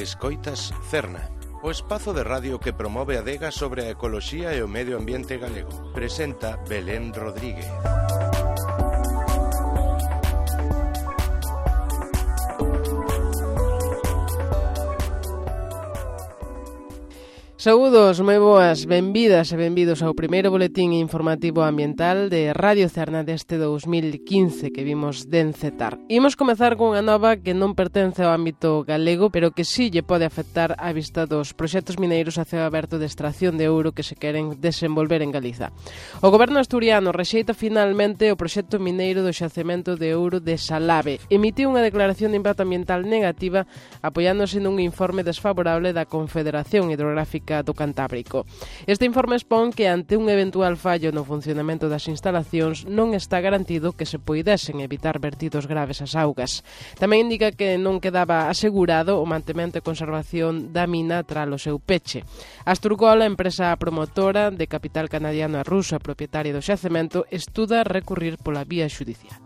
Escoitas Cerna, o espazo de radio que promove a adega sobre a ecoloxía e o medio ambiente galego. Presenta Belén Rodríguez. Saúdos, moi boas, benvidas e benvidos ao primeiro boletín informativo ambiental de Radio Cerna deste 2015 que vimos de encetar. Imos comezar con unha nova que non pertence ao ámbito galego, pero que sí lle pode afectar á vista dos proxectos mineiros a ceo aberto de extracción de ouro que se queren desenvolver en Galiza. O goberno asturiano rexeita finalmente o proxecto mineiro do xacemento de ouro de Salave. Emitiu unha declaración de impacto ambiental negativa apoiándose nun informe desfavorable da Confederación Hidrográfica do Cantábrico. Este informe expón que ante un eventual fallo no funcionamento das instalacións non está garantido que se poidesen evitar vertidos graves ás augas. Tamén indica que non quedaba asegurado o mantemento e conservación da mina tras o seu peche. Asturgol, a empresa promotora de capital canadiano e ruso e propietaria do xacemento, estuda recurrir pola vía xudicial.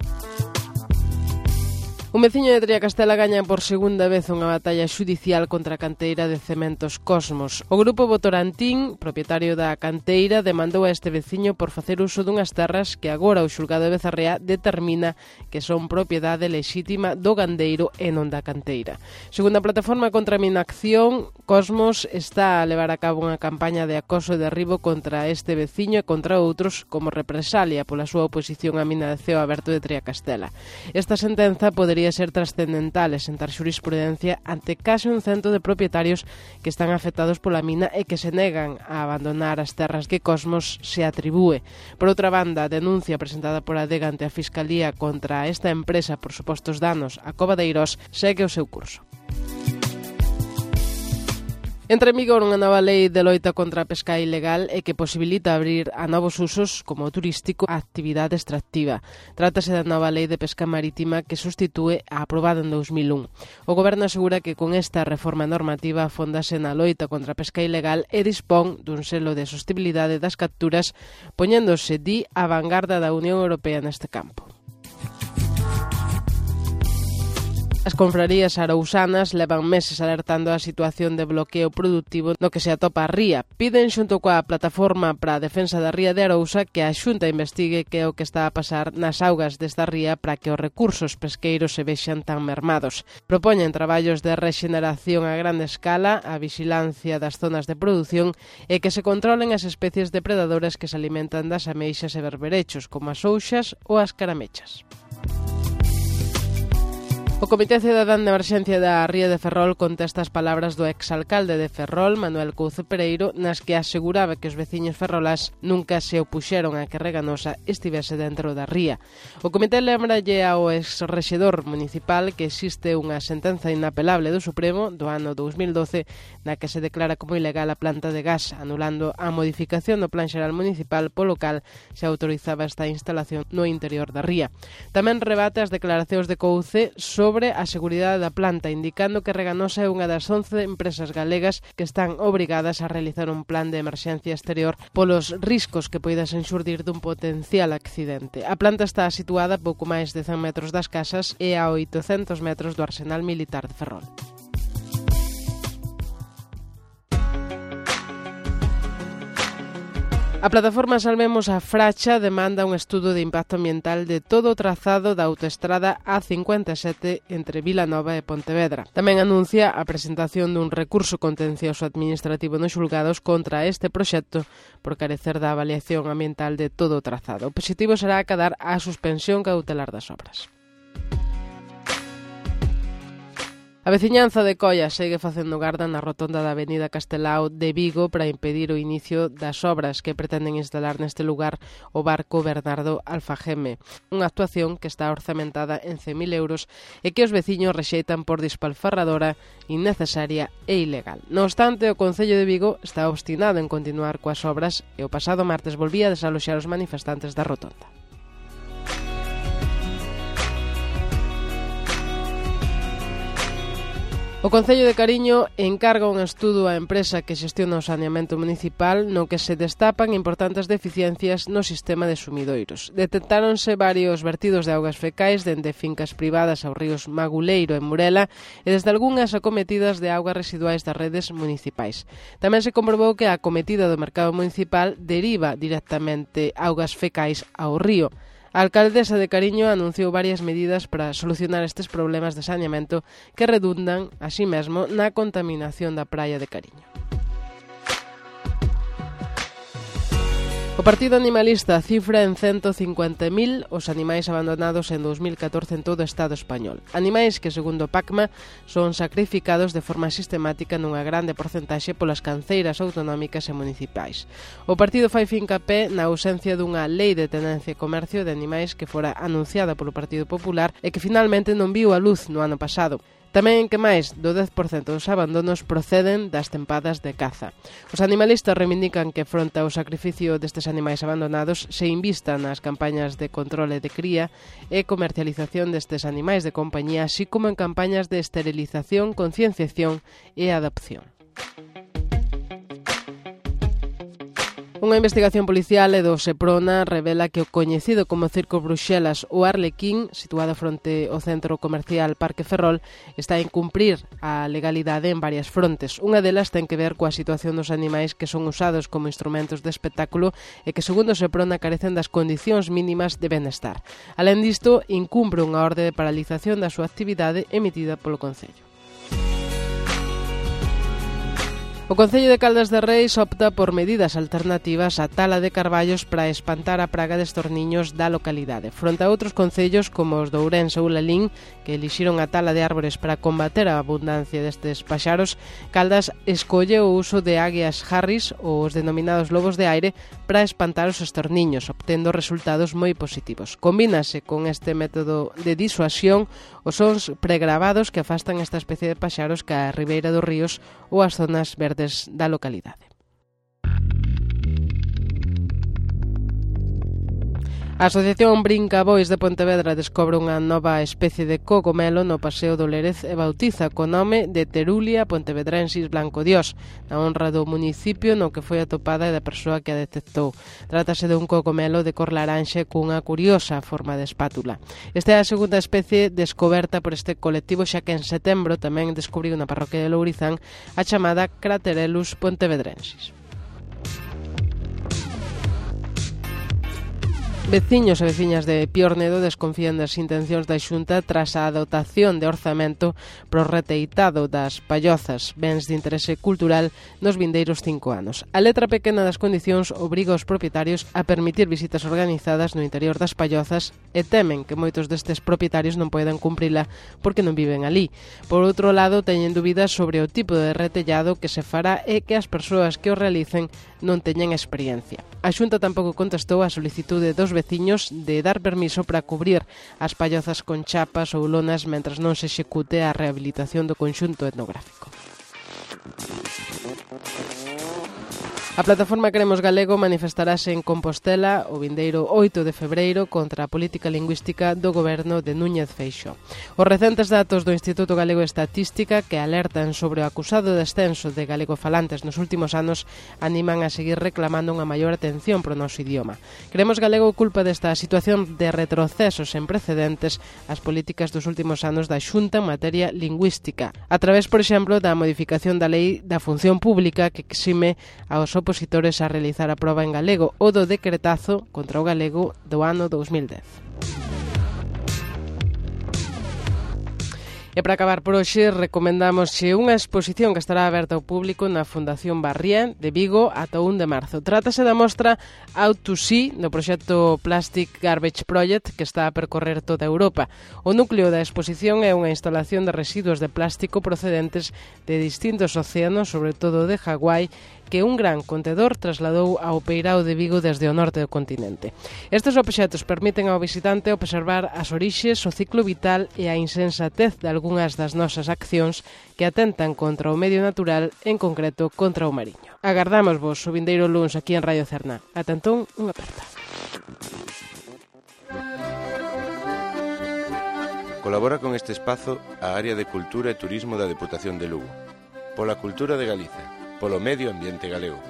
Un veciño de Triacastela gaña por segunda vez unha batalla xudicial contra a canteira de Cementos Cosmos. O grupo Votorantín, propietario da canteira, demandou a este veciño por facer uso dunhas terras que agora o xulgado de Becerrea determina que son propiedade lexítima do gandeiro e non da canteira. Segundo a plataforma contra a Minacción, Cosmos está a levar a cabo unha campaña de acoso e derribo contra este veciño e contra outros como represalia pola súa oposición á mina de ceo aberto de Triacastela. Esta sentenza podería ser trascendental e sentar xurisprudencia ante case 100 de propietarios que están afectados pola mina e que se negan a abandonar as terras que Cosmos se atribúe. Por outra banda, a denuncia presentada por Adega ante a Fiscalía contra esta empresa por supostos danos a Cova de Eirós segue o seu curso. Entra en vigor unha nova lei de loita contra a pesca ilegal e que posibilita abrir a novos usos como o turístico a actividade extractiva. Trátase da nova lei de pesca marítima que sustitúe a aprobada en 2001. O goberno asegura que con esta reforma normativa afóndase na loita contra a pesca ilegal e dispón dun selo de sostenibilidade das capturas, poñéndose a vanguarda da Unión Europea neste campo. As confrarías arousanas levan meses alertando a situación de bloqueo productivo no que se atopa a ría. Piden xunto coa Plataforma para a Defensa da Ría de Arousa que a Xunta investigue que é o que está a pasar nas augas desta ría para que os recursos pesqueiros se vexan tan mermados. Propoñen traballos de rexeneración a grande escala, a vixilancia das zonas de produción e que se controlen as especies depredadoras que se alimentan das ameixas e berberechos, como as ouxas ou as caramechas. O Comité Cidadán de Emerxencia da Ría de Ferrol contesta as palabras do exalcalde de Ferrol, Manuel Couce Pereiro, nas que aseguraba que os veciños ferrolás nunca se opuxeron a que Reganosa estivese dentro da ría. O comité lembralle ao exrexedor municipal que existe unha sentenza inapelable do Supremo do ano 2012 na que se declara como ilegal a planta de gas, anulando a modificación do Plan Xeral Municipal polo cal se autorizaba esta instalación no interior da ría. Tamén rebate as declaracións de Couce sobre a seguridade da planta, indicando que Reganosa é unha das 11 empresas galegas que están obrigadas a realizar un plan de emerxencia exterior polos riscos que poidasen xurdir dun potencial accidente. A planta está situada a pouco máis de 100 metros das casas e a 800 metros do Arsenal Militar de Ferrol. A plataforma Salvemos a Fracha demanda un estudo de impacto ambiental de todo o trazado da autoestrada A57 entre Vilanova e Pontevedra. Tamén anuncia a presentación dun recurso contencioso administrativo nos xulgados contra este proxecto por carecer da avaliación ambiental de todo o trazado. O positivo será acadar a suspensión cautelar das obras. A veciñanza de Coia segue facendo garda na rotonda da avenida Castelao de Vigo para impedir o inicio das obras que pretenden instalar neste lugar o barco Bernardo Alfageme, unha actuación que está orzamentada en 100.000 euros e que os veciños rexeitan por despalfarradora, innecesaria e ilegal. No obstante, o Concello de Vigo está obstinado en continuar coas obras e o pasado martes volvía a desaloxar os manifestantes da rotonda. O O Concello de Cariño encarga un estudo á empresa que xestiona o saneamento municipal no que se destapan importantes deficiencias no sistema de sumidoiros. Detectáronse varios vertidos de augas fecais dende fincas privadas aos ríos Maguleiro e Murela e desde algunhas acometidas de augas residuais das redes municipais. Tamén se comprobou que a acometida do mercado municipal deriva directamente augas fecais ao río. A alcaldesa de Cariño anunciou varias medidas para solucionar estes problemas de saneamento que redundan, así mesmo, na contaminación da praia de Cariño. O Partido Animalista cifra en 150.000 os animais abandonados en 2014 en todo o Estado español. Animais que, segundo o PACMA, son sacrificados de forma sistemática nunha grande porcentaxe polas canceiras autonómicas e municipais. O partido fai fincapé na ausencia dunha lei de tenencia e comercio de animais que fora anunciada polo Partido Popular e que finalmente non viu a luz no ano pasado. Tamén que máis do 10% dos abandonos proceden das tempadas de caza. Os animalistas reivindican que fronte ao sacrificio destes animais abandonados se invista nas campañas de controle de cría e comercialización destes animais de compañía, así como en campañas de esterilización, concienciación e adopción. Unha investigación policial e do Seprona revela que o coñecido como Circo Bruxelas ou Arlequín, situado fronte ao centro comercial Parque Ferrol, está a incumprir a legalidade en varias frontes. Unha delas ten que ver coa situación dos animais que son usados como instrumentos de espectáculo e que, segundo o Seprona, carecen das condicións mínimas de benestar. Alén disto, incumpre unha orde de paralización da súa actividade emitida polo Concello. O Concello de Caldas de Reis opta por medidas alternativas á tala de carballos para espantar a praga destes niños da localidade. Fronte a outros concellos como os de Ourense ou Lalín, que elixiron a tala de árbores para combater a abundancia destes paxaros, Caldas escolle o uso de águias harris ou os denominados lobos de aire para espantar os estorniños, obtendo resultados moi positivos. Combínase con este método de disuasión os sons pregravados que afastan esta especie de paxaros ca ribeira dos ríos ou as zonas verdes da localidade. A Asociación Brincabois de Pontevedra descobre unha nova especie de cogomelo no Paseo do Lérez e bautiza co nome de Terulia pontevedrensis blancodiós, na honra do municipio no que foi atopada e da persoa que a detectou. Trátase de un cogomelo de cor laranxe cunha curiosa forma de espátula. Esta é a segunda especie descoberta por este colectivo, xa que en setembro tamén descubriu na parroquia de Lourizán a chamada Craterellus pontevedrensis. Veciños e veciñas de Piornedo desconfían das intencións da Xunta tras a dotación de orzamento pro reteitado das pallozas, bens de interese cultural, nos vindeiros 5 anos. A letra pequena das condicións obriga os propietarios a permitir visitas organizadas no interior das pallozas e temen que moitos destes propietarios non poidan cumprila porque non viven alí. Por outro lado, teñen dúbidas sobre o tipo de retellado que se fará e que as persoas que o realicen non teñen experiencia. A Xunta tampouco contestou a solicitude dos veciños de dar permiso para cubrir as pallozas con chapas ou lonas mentras non se execute a rehabilitación do conxunto etnográfico. A plataforma Queremos Galego manifestarase en Compostela o vindeiro 8 de febreiro contra a política lingüística do goberno de Núñez Feixóo. Os recentes datos do Instituto Galego de Estatística, que alertan sobre o acusado descenso de galegofalantes nos últimos anos, animan a seguir reclamando unha maior atención pro noso idioma. Queremos Galego culpa desta situación de retrocesos sen precedentes as políticas dos últimos anos da Xunta en materia lingüística, a través, por exemplo, da modificación da Lei da Función Pública que exime aos opositores a realizar a proba en galego ou do decretazo contra o galego do ano 2010. E para acabar por hoxe, recomendamos unha exposición que estará aberta ao público na Fundación Barrién de Vigo ata 1 de marzo. Trátase da mostra Out to Sea do proxecto Plastic Garbage Project que está a percorrer toda Europa. O núcleo da exposición é unha instalación de residuos de plástico procedentes de distintos océanos, sobre todo de Hawái, que un gran contedor trasladou ao Peirao de Vigo desde o norte do continente. Estes obxectos permiten ao visitante observar as orixes, o ciclo vital e a insensatez de algunhas das nosas accións que atentan contra o medio natural, en concreto contra o mariño. Agardamos-vos o vindeiro luns aquí en Radio Cerna. Ata entón, unha aperta. Colabora con este espazo a Área de Cultura e Turismo da Deputación de Lugo. Pola cultura de Galicia, polo medio ambiente galego.